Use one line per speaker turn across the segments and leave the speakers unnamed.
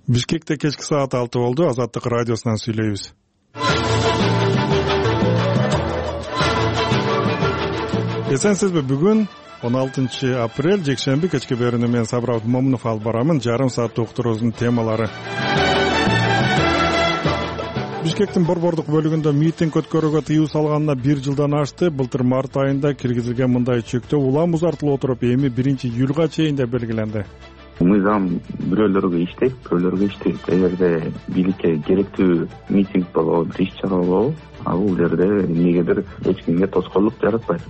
Бишкекте кечки саат 6 болду. Азаттык радиосунан сүйлөйбүз. Эсенсизби, бүгүн 16 апрель жекшемби кечки берүүнү мен Сабыр Абдымомунов алып барамын. Жарым сааттык уктуруубуздун темалары. Бишкектин борбордук бөлүгүндө митинг өткөрүүгө тыюу салганына 1 жылдан ашты. Былтыр март айында киргизилген мындай чектөө улам узартылып отуруп, эми 1-июлга чейин деп белгиленди.
Мыйзам бирөөлөргө иштейт, бирөөлөргө иштейт. Эгерде бийликке керектүү митинг болобу, иш-чара болобу, бул жерде эмнегедир эч кимге тоскоолдук жаратпайт.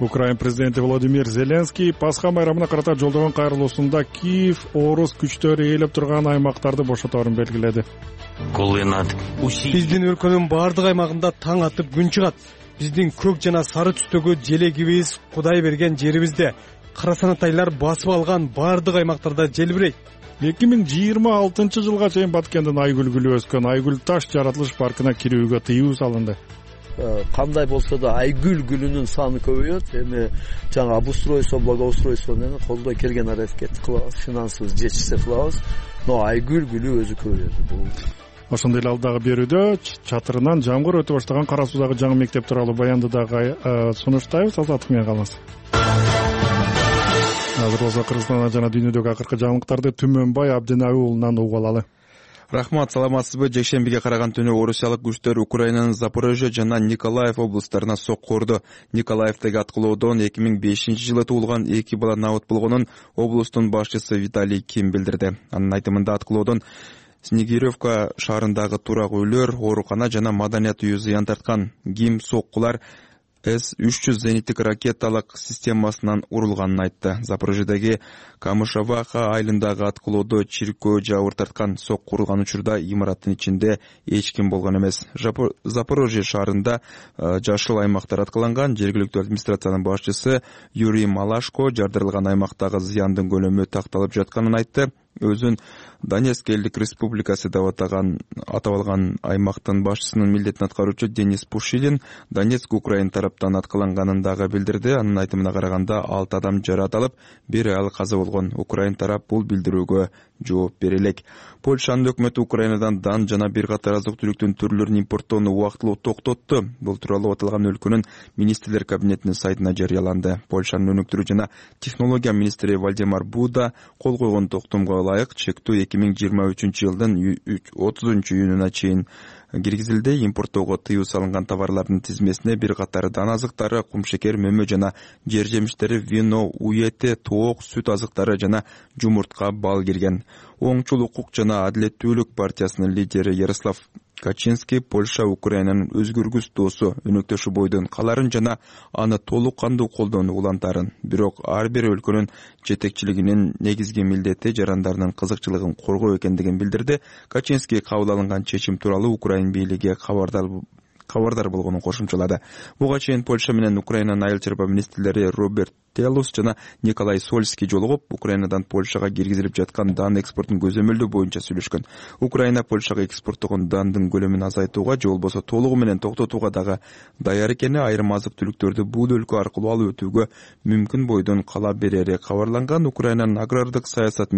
Украина президенти Владимир Зеленский Пасха майрамына карата жолдогон кайрылуусунда Киев орус күчтөрү ээлеп турган аймактарды бошоторун белгиледи.
Биздин өлкөнүн бардык аймагында таң атып күн чыгат. Биздин көк жана сары түстөгү желегибиз Кудай берген жерибизде. Карасанатайлар басып алган бардык аймактарда желбирейт.
2026 жылга чейин Баткендин Айгүл гүлү өскөн Айгүл таш жаратылыш паркына кирүүгө тыюу салынды.
Кандай болсо да Айгүл гүлүнүн саны көбөйөт. Эми жаңа обустройство, благоустройствону колдой келген аракет кылабыз, финансыбыз жетишсе кылабыз. Но Айгүл гүлү өзү көбөйөт.
Ошондой эле алдагы берүүдө чатырынан жамгыр өтө баштаган Кара Суудагы жаңы мектеп тууралуу баянды дагы сунуштайбыз. Азаттык менен калыңыз. Азыр болсо Кыргызстанда жана дүйнөдөгү акыркы жаңылыктарды Түмөнбай Абдинаби уулунан угуп алалы.
Рахмат, саламатсызбы? Жекшембиге караган түнү орусиялык күчтөр Украинанын Запорожье жана Николаев облустарына сокку урду. Николаевдеги аткылоодон 2005-жылы туулган 2 бала набыт болгонун облустун башчысы Виталий Ким билдирди. Анын айтымында аткылоодон Снегиревка шаарындагы турак үйлөр, оорукана жана маданият үйү зыян тарткан. Ким соккулар С-300 зениттик ракеталык системасынан урулганын айтты. Запорожьедеги Камышаваха айылындагы аткылоодо чиркөө жабыр тарткан. Сокку урулган учурда имараттын ичинде эч ким болгон эмес. Запорожье шаарында жашыл аймактар аткыланган. Жергиликтүү администрациянын башчысы Юрий Малашко жардырылган аймактагы зыяндын көлөмү такталып жатканын айтты. Өзүн Донецк элдик республикасы деп атап алган аймактын башчысынын милдетин аткаруучу Денис Пушилин Донецк Украина тараптан аткыланганын дагы билдирди. Анын айтымына караганда 6 адам жарат алып, 1 аял каза болгон. Украина тарап бул билдирүүгө жооп бере элек. Польшанын өкмөтү Украинадан дан жана бир катар азык-түлүктүн түрлөрүн импорттоону убактылуу токтотту. Бул тууралуу аталган өлкөнүн министрлер кабинетинин сайтына жарыяланды. Польшанын өнүктүрүү жана технология министри Вальдемар Буда кол койгон токтомго ылайык чектөө 2023-жылдын 30-июнуна чейин киргизилди. Импорттоого тыюу салынган товарлардын тизмесине бир катары дан азыктары, кумшекер, мөмө жана жер жемиштери, вино, уете, тоок, сүт азыктары жана жумуртка, бал кирген. Оңчул укук жана адилеттүүлүк партиясынын лидери Ярослав Качинский Польша Украинанын өзгөргүс досу, өнөктөшү бойдон каларын жана аны толук кандуу колдонууну улантарын. Бирок ар бир өлкөнүн жетекчилигинин негизги милдети жарандарынын кызыкчылыгын коргоо экендигин билдирди. Качинский кабыл алынган чечим тууралуу Украина бийлиги кабардар болгонун кошумчалады. Буга чейин Польша менен Украинанын айыл чарба министрлери Роберт Телус жана Николай Сольский жолугуп, Украинадан Польшага киргизилип жаткан дан экспортун көзөмөлдөө боюнча сүйлөшкөн. Украина Польшага экспорттогон дандын көлөмүн азайтууга же болбосо толугу менен токтотууга дагы даяр экени, айрым азык-түлүктөрдү бул өлкө аркылуу алып өтүүгө мүмкүн бойдон кала берери кабарланган. Украинанын агрардык саясат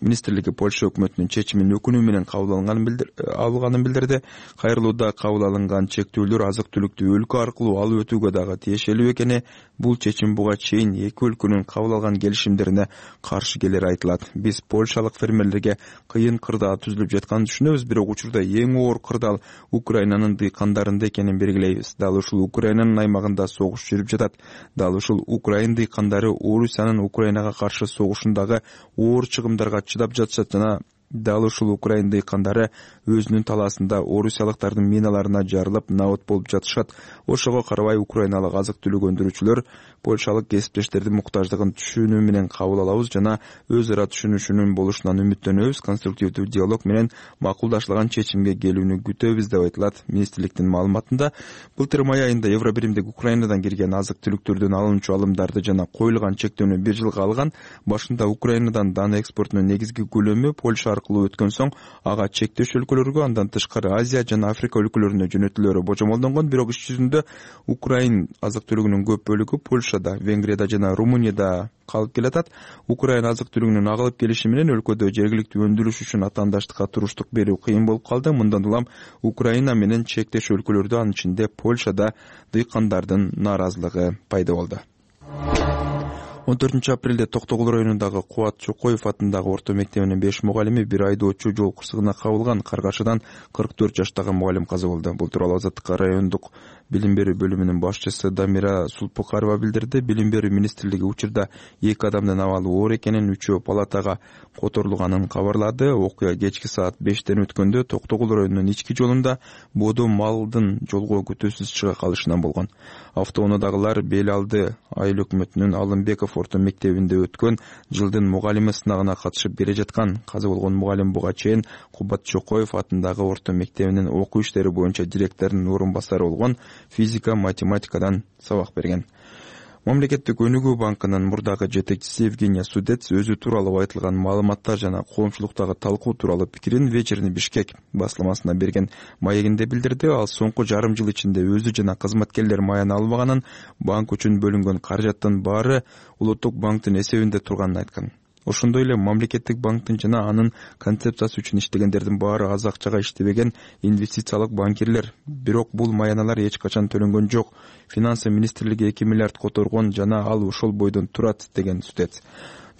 министрлиги Польша өкмөтүнүн чечимин өкүнүү менен кабыл алганын билдирди. Кайрылууда кабыл алынган чектөөлөр азык-түлүктү өлкө аркылуу алып өтүүгө дагы тиешелүү экени, бул чечим буга чейин эки өлкөнүн кабыл алган келишимдерине каршы келери айтылат. Биз польшалык фермерлерге кыйын кырдаал түзүлүп жатканын түшүнөбүз, бирок учурда эң оор кырдаал Украинанын дыйкандарында экенин белгилейбиз. Дал ушул Украинанын аймагында согуш жүрүп жатат. Дал ушул Украина дыйкандары Орусиянын Украинага каршы согушундагы оор чыгымдарга чыдап жатышат жана дал ушул Украина дыйкандары өзүнүн талаасында орусиялыктардын миналарына жарылып набыт болуп жатышат. Ошого карабай украиналык азык-түлүк өндүрүүчүлөр польшалык кесиптештердин муктаждыгын түшүнүү менен кабыл алабыз жана өз ара түшүнүшүнүн болушунан үмүттөнөбүз. Конструктивдүү диалог менен макулдашылган чечимге келүүнү күтөбүз деп айтылат министрликтин маалыматында. Былтыр май айында Евробиримдик Украинадан кирген азык-түлүктөрдүн алынчу алымдарды жана коюлган чектөөнү 1 жылга алган. Башында Украинадан дан экспортунун негизги көлөмү Польша аркылуу өткөн соң ага чектеш өлкөлөргө, андан тышкары Азия жана Африка өлкөлөрүнө жөнөтүлөрү божомолдонгон. Бирок иш жүзүндө Украин азык-түлүгүнүн көп бөлүгү Польшада, Венгрияда жана Румынияда калып келатат. Украин азык-түлүгүнүн агылып келиши менен өлкөдө жергиликтүү өндүрүш үчүн атаандаштыкка туруштук берүү кыйын болуп калды. Мындан улам Украина менен чектеш өлкөлөрдө, анын ичинде Польшада дыйкандардын нааразылыгы пайда болду. 14 апрелде Токтогул районундагы Кубат Чокоев атындагы орто мектебинин 5 мугалими бир айдоочу жол кырсыгына кабылган. Каргашыдан 44 жаштагы мугалим каза болду. Бул тууралуу Азаттыкка райондук билим берүү бөлүмүнүн башчысы Дамира Сулпукарова билдирди. Билим берүү министрлиги учурда 2 адамдын абалы оор экенин, 3-өө палатага которулганын кабарлады. Окуя кечки саат 5тен өткөндө Токтогул районунун ички жолунда бодо малдын жолго күтүүсүз чыга калышынан болгон. Автоунаадагылар Бел алды айыл өкмөтүнүн Алымбеков орто мектебинде өткөн жылдын мугалими сынагына катышып бере жаткан. Каза болгон мугалим буга чейин Кубат Чокоев атындагы орто мектебинин окуу иштери боюнча директорунун орун басары болгон, физика, математикадан сабак берген. Мамлекеттик өнүгүү банкынын мурдагы жетекчиси Евгения Судец өзү тууралуу айтылган маалыматтар жана коомчулуктагы талкуу тууралуу пикирин Вечерний Бишкек басылмасына берген маегинде билдирди. Ал соңку жарым жыл ичинде өзү жана кызматкерлер маяна албаганын, банк үчүн бөлүнгөн каражаттын баары улуттук банктын эсебинде турганын айткан. Ошондой эле мамлекеттик банктын жана анын концепциясы үчүн иштегендердин баары аз акчага иштебеген инвестициялык банкирлер. Бирок бул маяналар эч качан төлөнгөн жок. Финансы министрлиги 2 миллиард которгон жана ал ошол бойдон турат, деген Судец.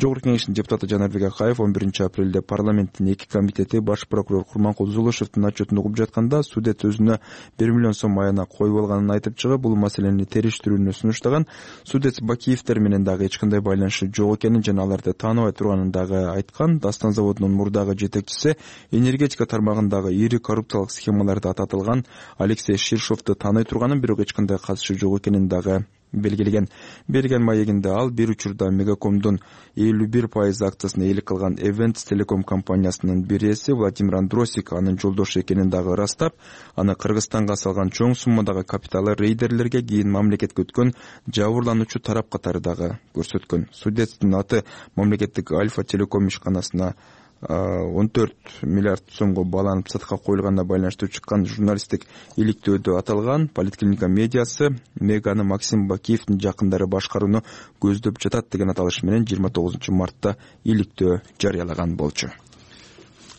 Жогорку Кеңештин депутаты Жанарбек Акаев 11 апрелде парламенттин 2 комитети баш прокурор Курманкул Зулушевдин отчетун угуп жатканда Судец өзүнө 1 миллион сом аяна коюп алганын айтып чыгып, бул маселени териштирүүнү сунуштаган. Судец Бакиевдер менен дагы эч кандай байланышы жок экенин жана аларды тааныбай турганын дагы айткан. Дастан заводунун мурдагы жетекчиси энергетика тармагындагы ири коррупциялык схемаларда ататылган Алексей Ширшовду тааный турганын, бирок эч кандай катышы жок экенин дагы белгилеген. Берген маегинде ал бир учурда Мегакомдун 51% акциясын ээлик кылган Events Telecom компаниясынын биреси Владимир Андросик анын жолдошу экенин дагы ырастап, аны Кыргызстанга салган чоң суммадагы капиталы рейдерлерге, кийин мамлекетке өткөн жабырлануучу тарап катары дагы көрсөткөн. Судецтин аты мамлекеттик Альфа Телеком ишканасына 14 миллиард сомго баланып сатыкка коюлганына байланыштуу чыккан журналисттик иликтөөдө аталган. Политклиника медиасы Меганы Максим Бакиевдин жакындары башкарууну көздөп жатат деген аталыш менен 29 мартта иликтөө жарыялаган болчу.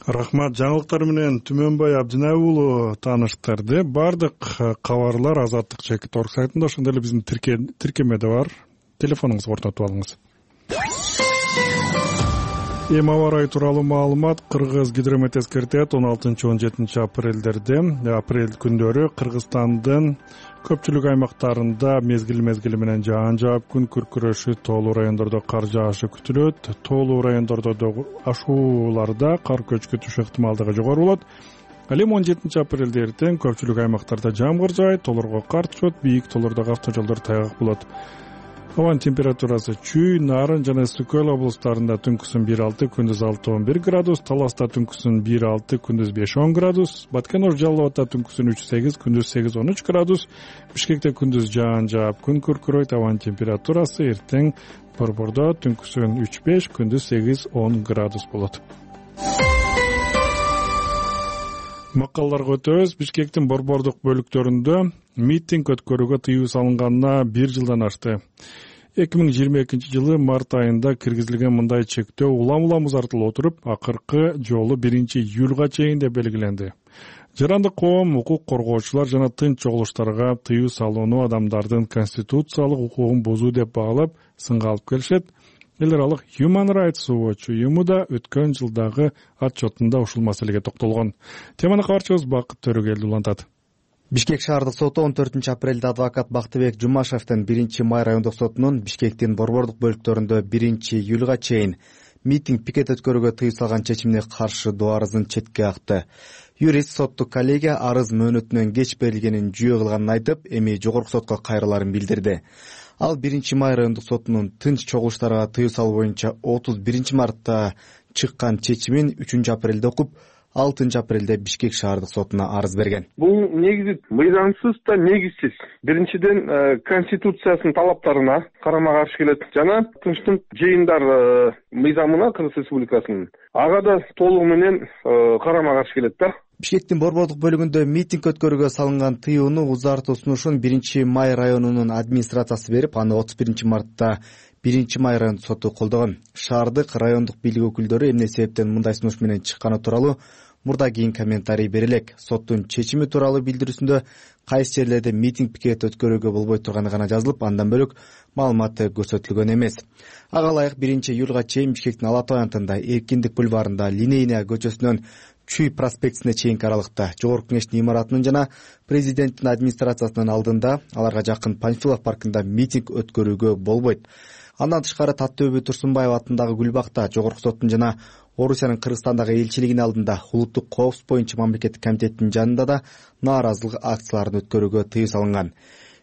Рахмат. Жаңылыктар менен Түмөнбай Абдинаев тааныштырды. Бардык кабарлар Азаттык /org сайтында, ошондой эле биздин тиркемеде бар. Телефонуңузду орнотуп алыңыз. Эми аба ырайы тууралуу маалымат. Кыргыз гидромет эскертет 16-17 апрель күндөрү Кыргызстандын көпчүлүк аймактарында мезгил менен жаан жаап, күн күркүрөшү, тоолуу райондордо кар жаашы күтүлөт. Тоолуу райондордо ашууларда кар көчкү түшүү ыктымалдыгы жогору болот. Ал эми 17 апрелде эртең көпчүлүк аймактарда жамгыр жаайт, тоолорго кар түшөт, бийик тоолордогу автожолдор тайгак болот. Абанын температурасы Чүй, Нарын жана Ысык Көл облустарында түнкүсүн 1-6, күндүз 6-11 градус, Таласта түнкүсүн 1-6, күндүз 5-10 градус, Баткен-Ош Жалал Абадта түнкүсүн 3-8, күндүз 8-13 градус, Бишкекте күндүз жаан жаап, күн күркүрөйт. Абанын температурасы эртең Борбордо түнкүсүн 3-5, күндүз 8-10 градус болот. Макалларга өтөбүз. Бишкектин борбордук бөлүктөрүндө митинг өткөрүүгө тыюу салынганына 1 жылдан ашты. 2022 жылы март айында киргизилген мындай чектөө улам узартылып отуруп, акыркы жолу 1-июлга чейин деп белгиленди. Жарандык коом, укук коргоочулар жана тынч чогулуштарга тыюу салууну адамдардын конституциялык укугун бузуу деп баалап, сынга алып келишет. Эл аралык Human Rights Watch уюму да өткөн жылдагы отчетунда ушул маселеге токтолгон. Теманы кабарчыбыз Бакыт Төрөгелди улантат.
Бишкек шаардык соту 14 апрелде адвокат Бактыбек Жумашевдин 1-май райондук сотунун Бишкектин борбордук бөлүктөрүндө 1-июлга чейин митинг пикет өткөрүүгө тыюу салган чечимине каршы доо арызын четке акты. Юрист соттук коллегия арыз мөөнөтүнөн кеч берилгенин жүйө кылганын айтып, эми жогорку сотко кайрыларын билдирди. Ал 1-май райондук сотунун тынч чогулуштарга тыюу салуу боюнча 31 мартта чыккан чечимин 3 апрелде окуп, апрелде Бишкек шаардык сотуна арыз берген.
Бул негизи мыйзамсыз да негизсиз. Биринчиден Конституциясынын талаптарына карама каршы келет жана Тынчтык жыйындар мыйзамына Кыргыз Республикасынын ага да толугу менен карама каршы келет да.
Бишкектин борбордук бөлүгүндө митинг өткөрүүгө салынган тыюуну узартуу сунушун 1-Май районунун администрациясы берип, аны 31-мартта 1-Май райондук соту колдогон. Шаардык, райондук бийлик өкүлдөрү эмне себептен мындай сунуш менен чыкканы тууралуу мурда кийин комментарий бере элек. Соттун чечими тууралуу билдирүүсүндө кайсы жерлерде митинг пикет өткөрүүгө болбой турганы гана жазылып, андан бөлөк маалымат көрсөтүлгөн эмес. Ага ылайык 1-июлга чейин Бишкектин Ала Тоо аянтында, Эркиндик бульварында, Линейная көчөсүнөн Чүй проспектисине чейинки аралыкта Жогорку Кеңештин имаратынын жана президенттин администрациясынын алдында, аларга жакын Панфилов паркында митинг өткөрүүгө болбойт. Андан тышкары Таттөбү Турсунбаева атындагы Гүлбакта, Жогорку соттун жана Орусиянын Кыргызстандагы элчилигинин алдында улуттук коопсуздук боюнча мамлекеттик комитеттин жанында да нааразылык акцияларын өткөрүүгө тыюу салынган.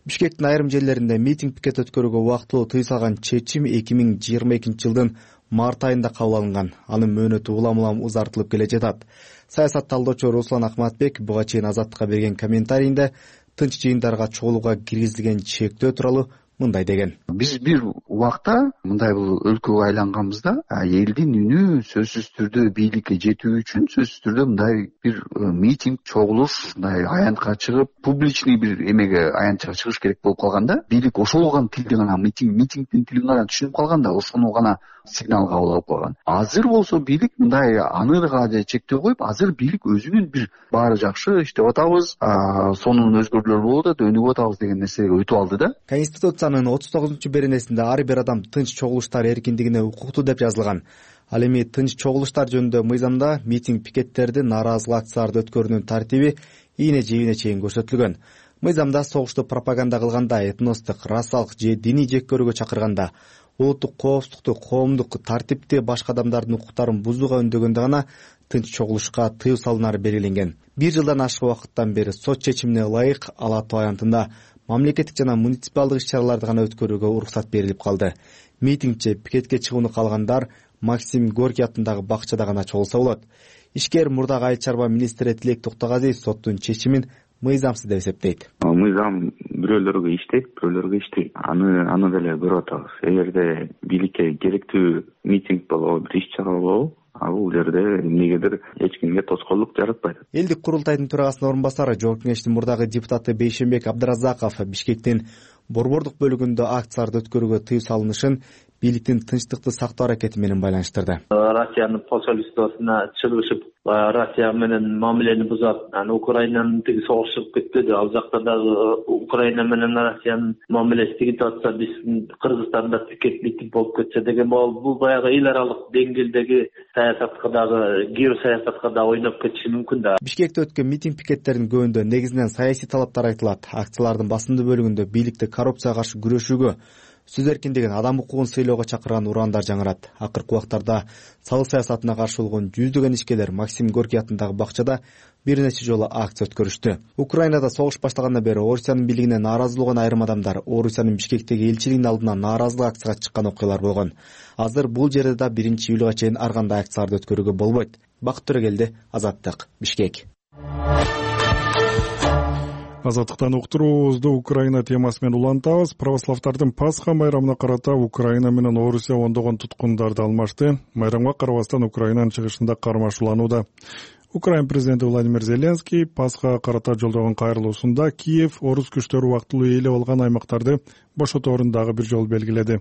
Бишкектин айрым жерлеринде митинг пикет өткөрүүгө убактылуу тыюу салган чечим 2022 жылдын март айында кабыл алынган. Анын мөөнөтү улам узартылып келе жатат. Саясат талдоочу Руслан Акматбек буга чейин Азаттыкка берген комментарийинде тынч жыйындарга чогулууга киргизилген чектөө тууралуу мындай деген.
Биз бир убакта мындай бул өлкөгө айланганбызда элдин үнү сөзсүз түрдө бийликке жетүү үчүн сөзсүз түрдө мындай бир митинг, чогулуш, мындай аянтка чыгып, публичный бир эмеге аянтка чыгыш керек болуп калганда, бийлик ошол гана тилди гана митингдин тилин гана түшүнүп калганда, ошону гана сигнал кабыл алып калган. Азыр болсо бийлик мындай аныга чектөө коюп, азыр бийлик өзүнүн бир баары жакшы иштеп атабыз, сонун өзгөрүүлөр болуп атат, өнүгүп атабыз деген нерсеге өтүп алды да.
Конституциянын 39-беренесинде ар бир адам тынч чогулуштар эркиндигине укуктуу деп жазылган. Ал эми тынч чогулуштар жөнүндө мыйзамда митинг пикеттерди, нааразылык акцияларды өткөрүүнүн тартиби ийне-жебине чейин көрсөтүлгөн. Мыйзамда согушту пропаганда кылганда, этностук, расалык же диний жек көрүүгө чакырганда, улуттук коопсуздукту, коомдук тартипти, башка адамдардын укуктарын бузууга үндөгөндө гана тынч чогулушка тыюу салынары белгиленген. 1 жылдан ашык убакыттан бери сот чечимине ылайык Ала Тоо аянтында мамлекеттик жана муниципалдык иш-чараларды гана өткөрүүгө уруксат берилип калды. Митингче пикетке чыгууну каалагандар Максим Горький атындагы бакчада гана чогулса болот. Ишкер мурдагы айыл чарба министри Тилек Токтогазиев соттун чечимин мыйзамсыз деп эсептейт.
Мыйзам бирөөлөргө иштейт, бирөөлөргө иштейт. Аны деле көрүп атабыз. Эгерде бийликке керектүү митинг болобу, бир иш-чара болобу, бул жерде эмнегедир эч кимге тоскоолдук жаратпайт.
Элдик курултайдын төрагасынын орун басары, Жогорку Кеңештин мурдагы депутаты Бейшенбек Абдыразаков Бишкектин борбордук бөлүгүндө акцияларды өткөрүүгө тыюу салынышын бийликтин тынчтыкты сактоо аракети менен байланыштырды.
Россиянын посольствосуна чыгышып, Россия менен мамилени бузат, Украинанын тиги согуш чыгып кетпеди. Ал жакта дагы Украина менен Россиянын мамилеси тигип атса, биз Кыргызстанда пикет митинг болуп кетсе деген бул баягы эл аралык деңгээлдеги саясатка дагы, геосаясатка да ойноп кетиши мүмкүн да.
Бишкекте өткөн митинг пикеттердин көбүндө негизинен саясий талаптар айтылат. Акциялардын басымдуу бөлүгүндө бийликти коррупцияга каршы күрөшүүгө, сөз эркиндигин, адам укугун сыйлоого чакырган ураандар жаңырат. Акыркы убактарда салык саясатына каршы болгон жүздөгөн ишкерлер Максим Горький атындагы бакчада бир нече жолу акция өткөрүштү. Украинада согуш баштагандан бери Орусиянын бийлигине нааразы болгон айрым адамдар Орусиянын Бишкектеги элчилигинин алдына нааразылык акцияга чыккан окуялар болгон. Азыр бул жерде да 1-июлга чейин ар кандай акцияларды өткөрүүгө болбойт. Бакыт Төрөгелди, Азаттык, Бишкек.
Азаттыктан уктуруубузду Украина темасы менен улантабыз. Православдардын Пасха майрамына карата Украина менен Орусия ондогон туткундарды алмашты. Майрамга карабастан Украинанын чыгышында кармашууланууда. Украина президенти Владимир Зеленский Пасхага карата жолдогон кайрылуусунда Киев орус күчтөрү убактылуу ээлеп алган аймактарды бошоторун дагы бир жолу белгиледи.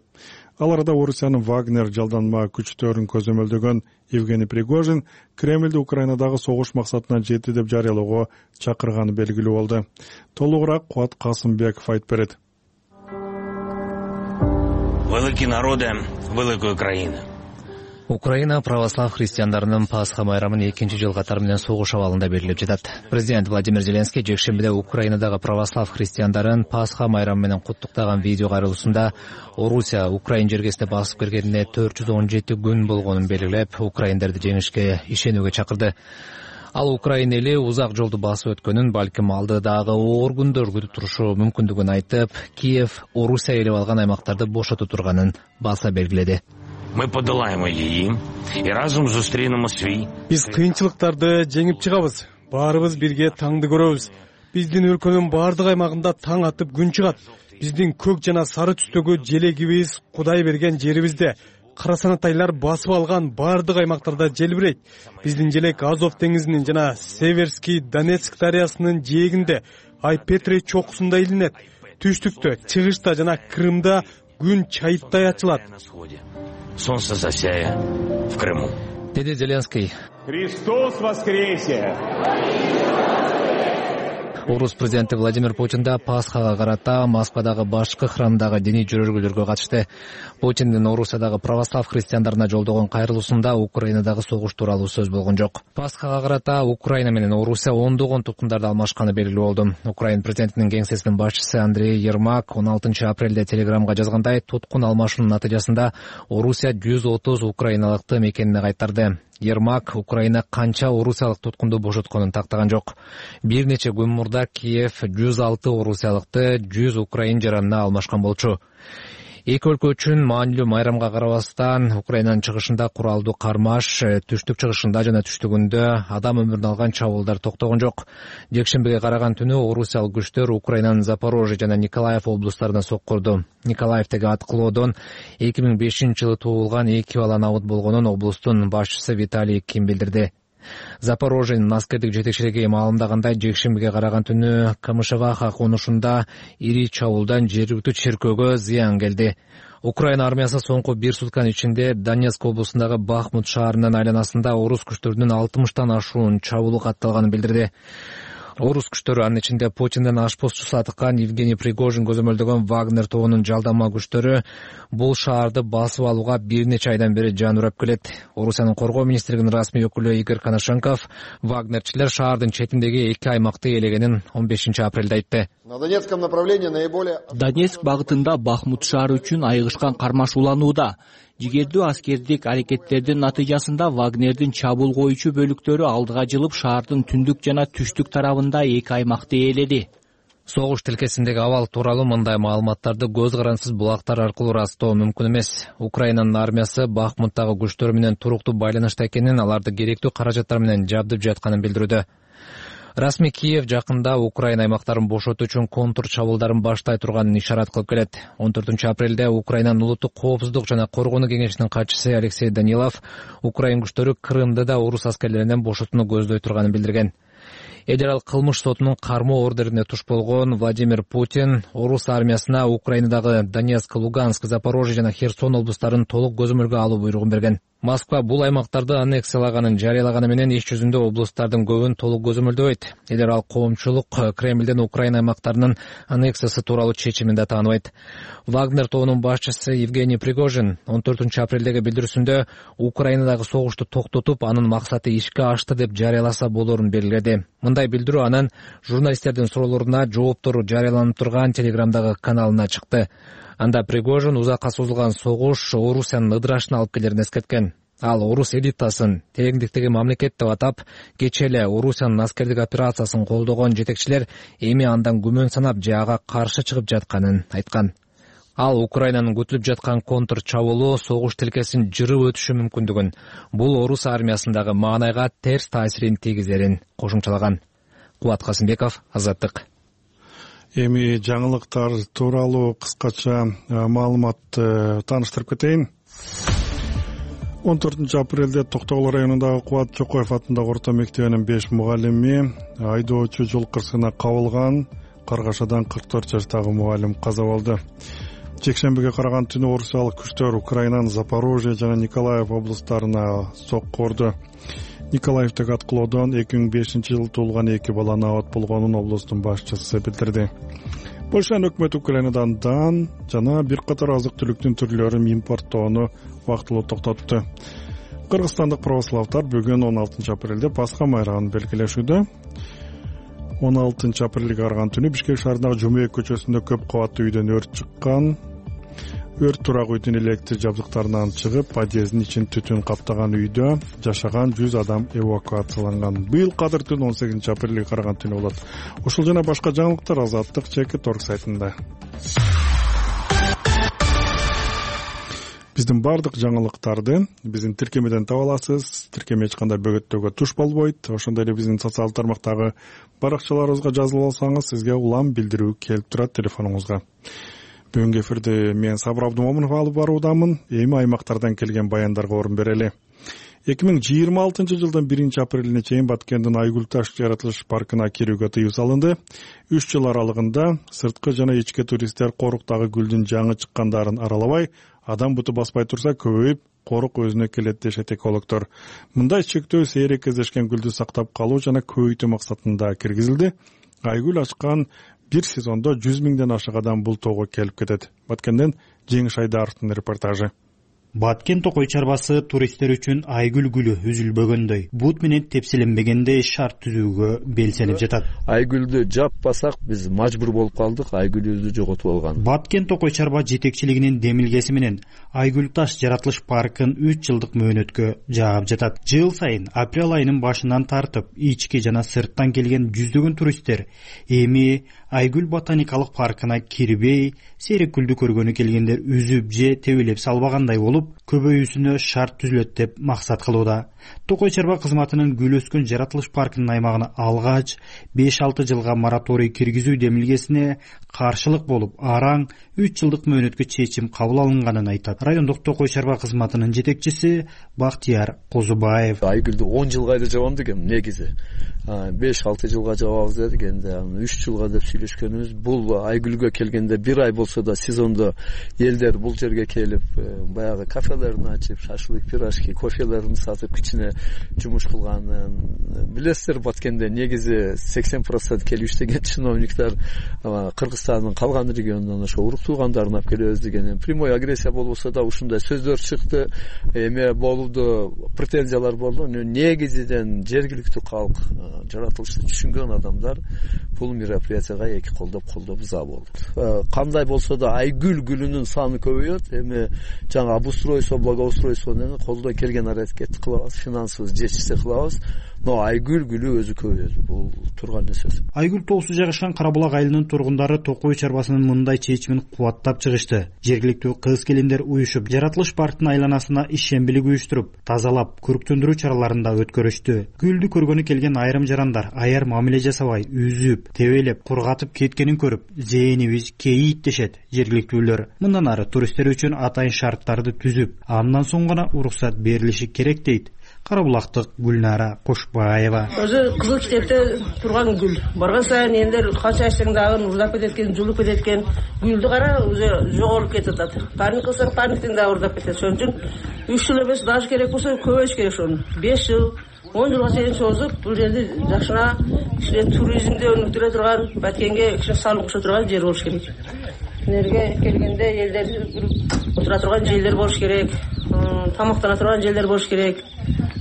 Ал арада Орусиянын Вагнер жалданма күчтөрүн көзөмөлдөгөн Евгений Пригожин Кремлди Украинадагы согуш максатына жетти деп жарыялоого чакырганы белгилүү болду. Толугураак Кубат Касымбеков айтып берет.
Великие народы, великая Украина.
Украина православ христиандарынын Пасха майрамын 2-жыл катар менен согуш абалында белгилеп жатат. Президент Владимир Зеленский жекшембиде Украинадагы православ христиандарын Пасха майрамы менен куттуктаган видео кайрылуусунда Орусия Украин жергесине басып киргенине 417 күн болгонун белгилеп, украиндерди жеңишке ишенүүгө чакырды. Ал Украин эли узак жолду басып өткөнүн, балким алдыдагы оор күндөр күтүп турушу мүмкүндүгүн айтып, Киев Орусия ээлеп алган аймактарды бошото турганын баса белгиледи.
мы подолаем її і разом зустрінемо свій.
Биз кыйынчылыктарды жеңип чыгабыз. Баарыбыз бирге таңды көрөбүз. Биздин өлкөнүн баардык аймагында таң атып күн чыгат. Биздин көк жана сары түстөгү желегибиз Кудай берген жерибизде. Карасанатайлар басып алган баардык аймактарда желбирейт. Биздин желек Азов деңизинин жана Северский Донецк дарыясынын жээгинде, Айпетри чокусунда илинет. Түштүктө, чыгышта жана Крымда күн чайыттай ачылат.
Солнце засяя в Крыму.
Деди Зеленский.
Христос воскресе!
Орус президенти Владимир Путин да Пасхага карата Москвадагы башкы храмдагы диний жөрөлгөлөргө катышты. Путиндин Орусиядагы православ христиандарына жолдогон кайрылуусунда Украинадагы согуш тууралуу сөз болгон жок. Пасхага карата Украина менен Орусия ондогон туткундарды алмашканы белгилүү болду. Украин президентинин кеңсесинин башчысы Андрей Ермак 16 апрелде телеграмга жазгандай, туткун алмашуунун натыйжасында Орусия 130 украиналыкты мекенине кайтарды. Ермак Украина канча орусиялык туткунду бошотконун тактаган жок. Бир нече күн мурда Киев 106 орусиялыкты 100 украин жаранына алмашкан болчу. Эки өлкө үчүн маанилүү майрамга карабастан Украинанын чыгышында куралдуу кармаш, түштүк чыгышында жана түштүгүндө адам өмүрүн алган чабуулдар токтогон жок. Жекшембиге караган түнү орусиялык күчтөр Украинанын Запорожье жана Николаев облустарына соккурду. Николаевдеги аткылоодон 2005-жылы туулган 2 бала набыт болгонун облустун башчысы Виталий Ким билдирди. Запорожьенин аскердик жетекчилиги маалымдагандай, жекшембиге караган түнү Камышеваха конушунда ири чабуулдан жергиликтүү черкөөгө зыян келди. Украина армиясы соңку 1 сутканын ичинде Донецк облусундагы Бахмут шаарынын айланасында орус күчтөрүнүн 60тан ашуун чабуулу катталганын билдирди. Орус күчтөрү, анын ичинде Путиндин ашпозчусу атыккан Евгений Пригожин көзөмөлдөгөн Вагнер тобунун жалдама күчтөрү бул шаарды басып алууга бир нече айдан бери жан урап келет. Орусиянын коргоо министрлигинин расмий өкүлү Игорь Коношенков Вагнерчилер шаардын четиндеги 2 аймакты ээлегенин 15 апрелде айтты.
Донецк багытында Бахмут шаары үчүн айыгышкан кармаш уланууда. Жигердүү аскердик аракеттердин натыйжасында Вагнердин чабуул коюучу бөлүктөрү алдыга жылып шаардын түндүк жана түштүк тарабында 2 аймакты ээледи.
Согуш тилкесиндеги абал тууралуу мындай маалыматтарды көз карансыз булактар аркылуу ырастоо мүмкүн эмес. Украинанын армиясы Бахмуттагы күчтөр менен туруктуу байланышта экенин, аларды керектүү каражаттар менен жабдып жатканын билдирүүдө. Расмий Киев жакында Украина аймактарын бошотуу үчүн контур чабуулдарын баштай турганын ишарат кылып келет. 14 апрелде Украинанын улуттук коопсуздук жана коргонуу кеңешинин катчысы Алексей Данилов Украин күчтөрү Крымды да орус аскерлеринен бошотууну көздөй турганын билдирген. Эл аралык кылмыш сотунун кармоо ордерине туш болгон Владимир Путин орус армиясына Украинадагы Донецк, Луганск, Запорожье жана Херсон облустарын толук көзөмөлгө алуу буйругун берген. Москва бул аймактарды аннексиялаганын жарыялаганы менен иш жүзүндө облустардын көбүн толук көзөмөлдөбөйт. Эл аралык коомчулук Кремлден Украина аймактарынын аннексиясы тууралуу чечимин да тааныбайт. Вагнер тобунун башчысы Евгений Пригожин 14 апрелдеги билдирүүсүндө Украинадагы согушту токтотуп, анын максаты ишке ашты деп жарыяласа болорун белгиледи. Мындай билдирүү анын журналисттердин суроолоруна жооптору жарыяланып турган Телеграмдагы каналына чыкты. Анда Пригожин узакка созулган согуш Орусиянын ыдырашына алып келерин эскерткен. Ал орус элитасын тереңдиктеги мамлекет деп атап, кечээ эле Орусиянын аскердик операциясын колдогон жетекчилер эми андан күмөн санап же ага каршы чыгып жатканын айткан. Ал Украинанын күтүлүп жаткан контр чабуулу согуш тилкесин жырып өтүшү мүмкүндүгүн, бул орус армиясындагы маанайга терс таасирин тийгизерин кошумчалаган. Кубат Касымбеков, Азаттык.
Эми жаңылыктар тууралуу кыскача маалымат тааныштырып кетейин. 14 апрелде Токтогул районундагы Кубат Чокоев атындагы орто мектебинин 5 мугалими айдоочу жол кырсыгына кабылган. Каргашадан 44 жаштагы мугалим каза болду. Жекшембиге караган түнү орусиялык күчтөр Украинанын Запорожье жана Николаев облустарына сокку урду. Николаевдеги аткылоодон 2005-жылы туулган 2 бала набат болгонун облустун башчысы билдирди. Польшанын өкмөтү Украинадан дан жана бир катар азык-түлүктүн түрлөрүн импорттоону вактылуу токтотту. Кыргызстандык православдар бүгүн 16 апрелде Пасха майрамын белгилешүүдө. 16 апрелге караган түнү Бишкек шаарындагы Жумеек көчөсүндө көп кабаттуу үйдөн өрт чыккан. Өрт турак үйдүн электр жабдыктарынан чыгып, подъездин ичин түтүн каптаган үйдө жашаган 100 адам эвакуацияланган. Быйыл кадыр түн 18 апрелге караган түнү болот. Ушул жана башка жаңылыктар Азаттык Чекит Торг сайтында. Биздин баардык жаңылыктарды биздин тиркемеден таба аласыз. Тиркеме эч кандай бөгөттөөгө туш болбойт. Ошондой эле биздин социалдык тармактагы баракчаларыбызга жазылып алсаңыз, сизге улам билдирүү келип турат телефонуңузга. Бүгүнкү эфирди мен Сабыр Абдумомунов алып баруудамын. Эми аймактардан келген баяндарга орун берели. 2026 жылдын 1-апрелине чейин Баткендин Айгүл таш жаратылыш паркына кирүүгө тыюу салынды. 3 жыл аралыгында сырткы жана ички туристтер коруктагы гүлдүн жаңы чыккандарын аралабай, адам буту баспай турса көбөйүп, корук өзүнө келет дешет экологдор. Мындай чектөө сейрек кездешкен гүлдү сактап калуу жана көбөйтүү максатында киргизилди. Айгүл ачкан бир сезондо 100 миңден ашык адам бул тоого келип кетет. Баткенден Жеңиш Айдаровдун репортажы.
Баткен Токой чарбасы туристтер үчүн айгүл гүлү үзүлбөгөндөй, бут менен тепселенбегендей шарт түзүүгө белсенип жатат.
Айгүлдү жаппасак биз мажбур болуп калдык, айгүлүбүздү жоготуп алган.
Баткен Токой чарба жетекчилигинин демилгеси менен Айгүл таш жаратылыш паркын 3 жылдык мөөнөткө жаап жатат. Жыл сайын апрель айынын башынан тартып, ички жана сырттан келген жүздөгөн туристтер эми Айгүл ботаникалык паркына кирбей, сейрек гүлдү көргөнү келгендер үзүп же тебелеп салбагандай болуп, көбөйүүсүнө шарт түзүлөт деп максат кылууда. Токой чарба кызматынын гүл өскөн жаратылыш паркынын аймагына алгач 5-6 жылга мораторий киргизүү демилгесине каршылык болуп, араң 3 жылдык мөөнөткө чечим кабыл алынганын айтат. Райондук Токой чарба кызматынын жетекчиси Бактияр Козубаев.
Айгүлдү 10 жылга эле жабам дегем негизи. 5-6 жылга жабабыз дедик, энди 3 жылга деп сүйлөшкөнүбүз. Бул айгүлгө келгенде 1 ай болсо да сезондо элдер бул жерге келип, баягы кафелерин ачып, шашлык, пирожки, кофелерин сатып, кичине жумуш кылганын билесиздер. Баткенде негизи 80% келип иштеген чиновниктер Кыргызстандын калган регионунан ошо урук туугандарына алып келебиз деген прямой агрессия болбосо да ушундай сөздөр чыкты. Эме болду, претензиялар болду. Негизиден жергиликтүү калк, жаратылышты түшүнгөн адамдар бул мероприятияга эки колдоп за болду. Кандай болсо да айгүл гүлүнүн саны көбөйөт. Эми жаңы обустройство, благоустройствону колдой келген аракет кылабыз, финансыбыз жетишсе кылабыз. Но айгүл гүлү өзү көбөйөт. Бул турган нерсе.
Айгүл тоосу жайгашкан Карабулак айылынын тургундары Токой чарбасынын мындай чечимин кубаттап чыгышты. Жергиликтүү кыз-келиндер уюшуп, жаратылыш парктын айланасына ишембилик уюштуруп, тазалап, көрктөндүрүү чараларында өткөрүштү. Гүлдү көргөнү келген айрым жарандар аяр мамиле жасабай, үзүп, тебелеп, кургатып кеткенин көрүп, зээнибиз кейийт дешет жергиликтүүлөр. Мындан ары туристтер үчүн атайын шарттарды түзүп, андан соң гана уруксат берилиши керек дейт Карабулактык Гүлнара Кошбаева.
Өзү кызыл китепте турган гүл. Барган сайын элдер канча ичсең дагы урдап кеткен, жулуп кеткен гүлдү кара өзү жоголуп кетип атат. Парник кылсаң парниктен дагы урдап кетет. Ошон үчүн 3 жыл эмес, даже керек болсо көбөйүш керек ошону. 5 жыл, 10 жылга чейин созуп, бул жерди жакшына кичине туризмди өнүктүрө турган, Баткенге кичине салым кошо турган жер болуш керек. Энерге келгенде элдер отура турган жерлер болуш керек, тамактана турган жерлер болуш керек.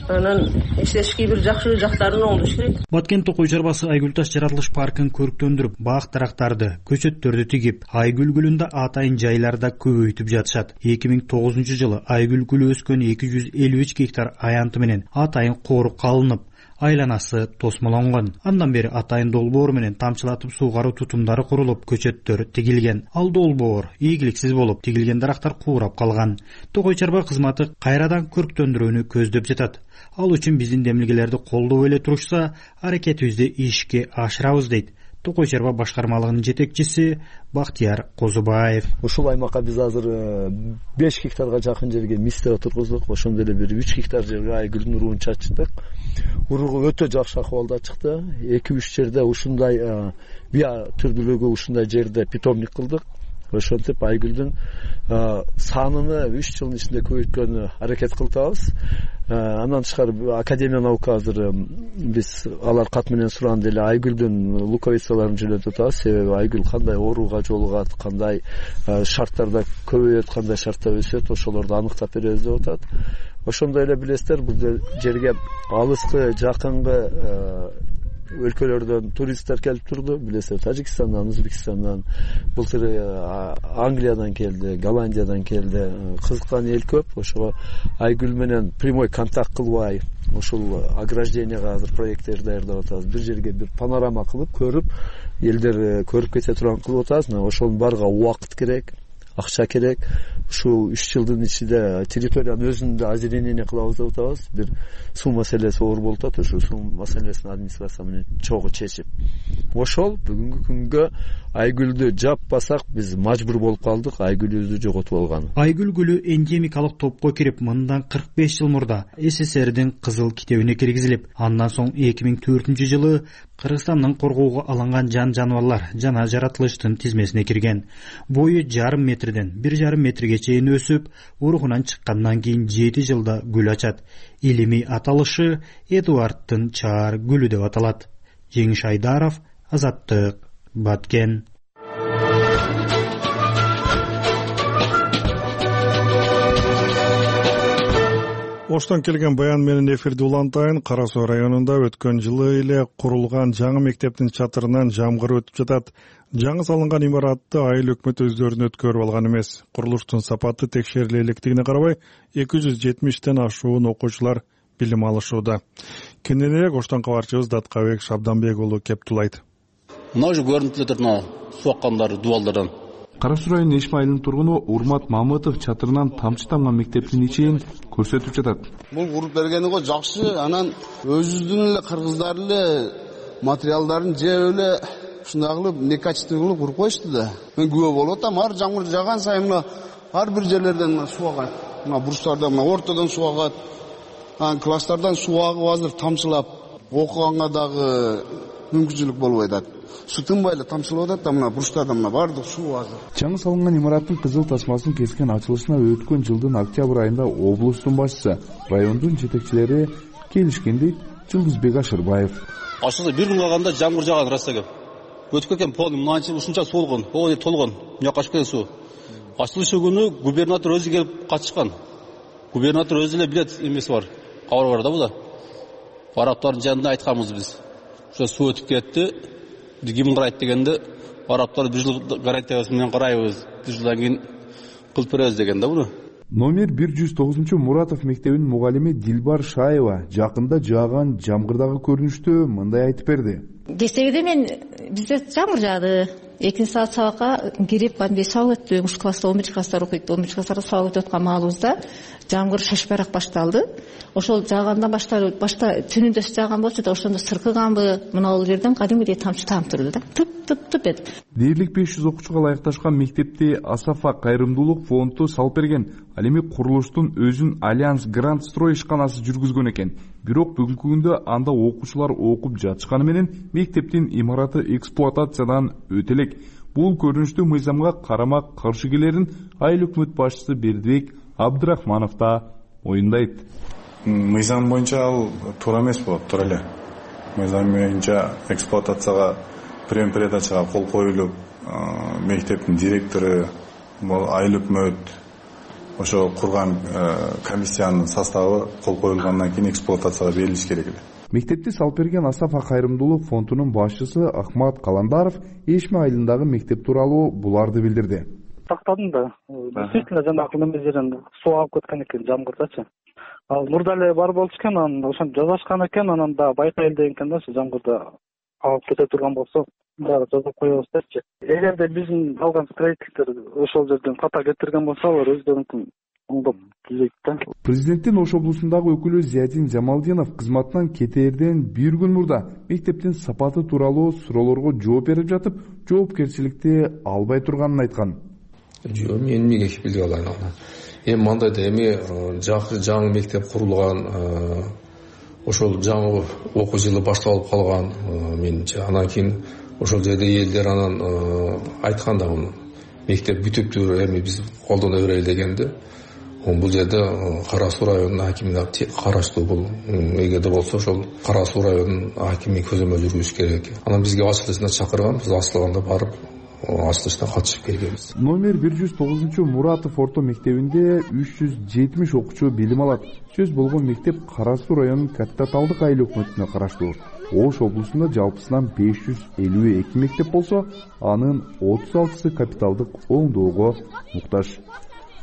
Анан эстетикий бир жакшы жактарын оңдош керек.
Баткен Токой чарбасы Айгүл таш жаратылыш паркын көрктөндүрүп, бак дарактарды, көчөттөрдү тигип, айгүл гүлүндө атайын жайларда көбөйтүп жатышат. 2009 жылы айгүл гүлү өскөн 253 гектар аянты менен атайын корук калынып, айланасы тосмолонгон. Андан бери атайын долбоор менен тамчылатып суугаруу тутумдары курулуп, көчөттөр тигилген. Ал долбоор ийгиликсиз болуп, тигилген дарактар куурап калган. Токой чарба кызматы кайрадан көрктөндүрүүнү көздөп жатат. Ал үчүн биздин демилгелерди колдоп эле турушса, аракетибизди ишке ашырабыз дейт Токой чарба башкармалыгынын жетекчиси Бактияр Козубаев.
Ушул аймакка биз азыр 5 гектарга жакын жерге мисте тургуздук. Ошондой эле бир 3 гектар жерге айгүлдүн уругун чачтык. Уругу өтө жакшы акыбалда чыкты. 2-3 жерде ушундай био түрдүүлүгү ушундай жерде питомник кылдык. Ошентип айгүлдүн саныны 3 жылдын ичинде көбөйткөнгө аракет кылабыз. Андан тышкары Академия наука азыр биз алар кат менен суранды эле айгүлдүн луковицаларын жөнөтүп атабыз. Себеби айгүл кандай ооруга жолугат, кандай шарттарда көбөйөт, кандай шартта өсөт, ошолорду аныктап беребиз деп атат. Ошондой эле билесиздер, бул жерге алыскы, жакынкы өлкөлөрдөн туристтер келип турду. Билесиздер, Тажикстандан, Өзбекстандан, былтыр Англиядан келди, Голландиядан келди. Кызыккан эл көп. Ошого айгүл менен прямой контакт кылбай, ушул огражденияга азыр проекттер даярдап атабыз. Бир жерге бир панорама кылып, көрүп, элдер көрүп кете турган кылып атабыз. Ошонун барга убакыт керек. акча керек. Ушул 3 жылдын ичинде территориянын өзүндө озеленение кылабыз деп атабыз. Бир суу маселеси оор болуп атат. Ошол суу маселесин администрация менен чогуу чечип, ошол бүгүнкү күнгө Айгүлдү жаппасак биз мажбур болуп калдык Айгүлүбүздү жоготуп алганы.
Айгүл гүлү эндемикалык топко кирип, мындан 45 жыл мурда СССРдин кызыл китебине киргизилип, андан соң 2004-жылы Кыргызстандын коргоого алынган жан-жаныбарлар жана жаратылыштын тизмесине кирген. Бою 0,5 метрден 1,5 метрге чейин өсүп, урухунан чыккандан кийин 7 жылда гүл ачат. Илимий аталышы Эдуарддын чаар гүлү деп аталат. Жеңиш Айдаров, Азаттык, Баткен.
Оштон келген баян менен эфирди улантайын. Кара Суу районунда өткөн жылы эле курулган жаңы мектептин чатырынан жамгыр өтүп жатат. Жаңы салынган имаратты айыл өкмөт өздөрүнө өткөрүп алган эмес. Курулуштун сапаты текшериле электигине карабай 270тен ашуун окуучулар билим алышууда. Кененирээк Оштон кабарчыбыз Даткабек Шабданбек уулу Кептулайт.
Мына уже көрүнүп жатат суу аккандар дубалдардан.
Кара Суу районунун Эшме айылынын тургуну Урмат Мамытов чатырынан тамчы тамган мектептин ичин көрсөтүп жатат.
Бул куруп бергени го жакшы, анан өзүбүздүн эле кыргыздар эле материалдарын жеп эле ушундай кылып некачество кылып куруп коюшту да. Мен күбө болуп атам, ар жамгыр жааган сайын ар бир жерлерден суу агат. Мына бурчтардан, ортодон суу агат. Анан класстардан суу агып азыр тамчылап, окуганга дагы мүмкүнчүлүк болбой атат. Суу тынбай эле тамчылап атат да, мына бурчтардан баардык суу азыр.
Жаңы салынган имараттын кызыл тасмасын кескен ачылышына өткөн жылдын октябрь айында облустун башчысы, райондун жетекчилери келишкен дейт Жылдызбек Ашырбаев.
Ачылды бир күн калганда жамгыр жааган расага. Өтүп кеткен полный мынанча ушунча солгон, ой толгон, муяка ачып кеткен суу. Ачылышы күнү губернатор өзү келип катышкан. Губернатор өзү эле билет эмеси бар. Кабар бар да буда. Араптардын жанында айтканбыз биз. Ошо суу өтүп кетти. Ким карайт дегенде, араптар бир жыл гарантия менен карайбыз. Бир жылдан кийин кылып беребиз деген да буну.
Номер 109 Муратов мектебинин мугалими Дилбар Шаева жакында жааган жамгырдагы көрүнүштү мындай айтып берди.
Кечээде мен бизде жамгыр жаады. 2 саат сабакка кирип, кандай сабак өттү. 3 класста 11 класстар окуйт. 11 класстарда сабак өтүп аткан маалыбызда жамгыр шашпайраак башталды. Ошол жаагандан башта түнүндө жааган болчу да, ошондо сыркыганбы, мына бул жерден кадимгидей тамчы таап турду да. Тып эт.
Дээрлик 500 окуучуга ылайыкташкан мектепти Асафа кайрымдуулук фонду салып берген. Ал эми курулуштун өзүн Альянс Грант Строй ишканасы жүргүзгөн экен. Бирок бүгүнкү күндө анда окуучулар окуп жатышканы менен мектептин имараты эксплуатациядан өтө элек. Бул көрүнүштүү мыйзамга карама каршы келерин айыл өкмөт башчысы Бердибек Абдрахманов да оюндайт.
Мыйзам боюнча ал туура эмес болот, туура эле. Мыйзам боюнча эксплуатацияга передачага кол коюлуп, мектептин директору, айыл өкмөт ошо курган комиссиянын составы кол коюлгандан кийин эксплуатацияга берилиш керек эле.
Мектепти салып берген Асафа кайрымдуулук фондунун башчысы Ахмат Каландаров Эшме айылындагы мектеп тууралуу буларды билдирди.
Тактадым да. Действительно жанагы неме жерден суу агып кеткен экен жамгырдачы. Ал мурда эле бар болчу экен, анан ошону жазашкан экен, анан да байкайыл деген экен да, ошо жамгырда агып кете турган болсо дагы жазып коебуз депчи. Эгерде биздин алган строительдер ошол жерден ката кетирген болсо, алар өздөрүнүн оңдоп түзөйт да.
Президенттин Ош облусундагы өкүлү Зиядин Жамалдинов кызматынан кетээрден бир күн мурда мектептин сапаты тууралуу суроолорго жооп берип жатып, жоопкерчиликти албай турганын айткан.
Жок, мен эмнеге кепилдик алайын аны. Эми мындай да, эми жаңы мектеп курулган, ошол жаңы окуу жылы башталып калган, менимче. Анан кийин ошол жерде элдер анан айткан да, мектеп бүтүптүр, эми биз колдоно берели дегенде. Бул жерде Кара Суу районунун акимине караштуу бул. Эгерде болсо ошол Кара Суу районунун акими көзөмөл жүргүзүш керек. Анан бизге ачылышына чакырган, биз ачылганда барып ачылышына катышып келгенбиз.
Номер 109 Муратов орто мектебинде 370 окуучу билим алат. Сөз болгон мектеп Кара Суу районунун Катта Талдык айыл өкмөтүнө караштуу. Ош облусунда жалпысынан 552 мектеп болсо, анын 36сы капиталдык оңдоого муктаж.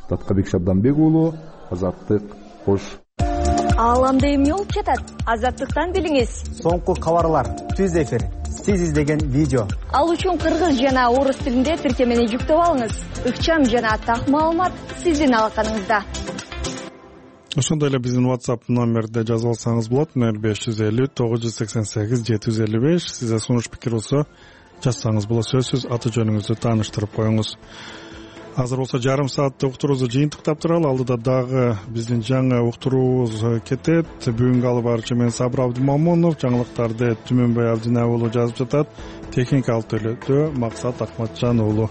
Таткабек Шабданбек уулу, Азаттык, Ош.
Ааламда эмне болуп жатат? Азаттыктан билиңиз.
Соңку кабарлар, түз эфир, сиз издеген видео.
Ал үчүн кыргыз жана орус тилинде тиркемени жүктөп алыңыз. Ыкчам жана так маалымат сиздин алаканыңызда.
Ошондой эле биздин WhatsApp номерде жазып алсаңыз болот. 0550 988 755. Сизде сунуш пикир болсо жазсаңыз болот. Сөзсүз аты жөнүңүздү тааныштырып коюңуз. Азыр болсо жарым сааттык уктуруубузду жыйынтыктап туралы. Алдыда дагы биздин жаңы уктуруубуз кетет. Бүгүнкү алып баруучу мен Сабыр Абдымамунов, жаңылыктарды Түмөнбай Абдинай уулу жазып жатат. Техника алып төлөдө Максат Акматжан уулу.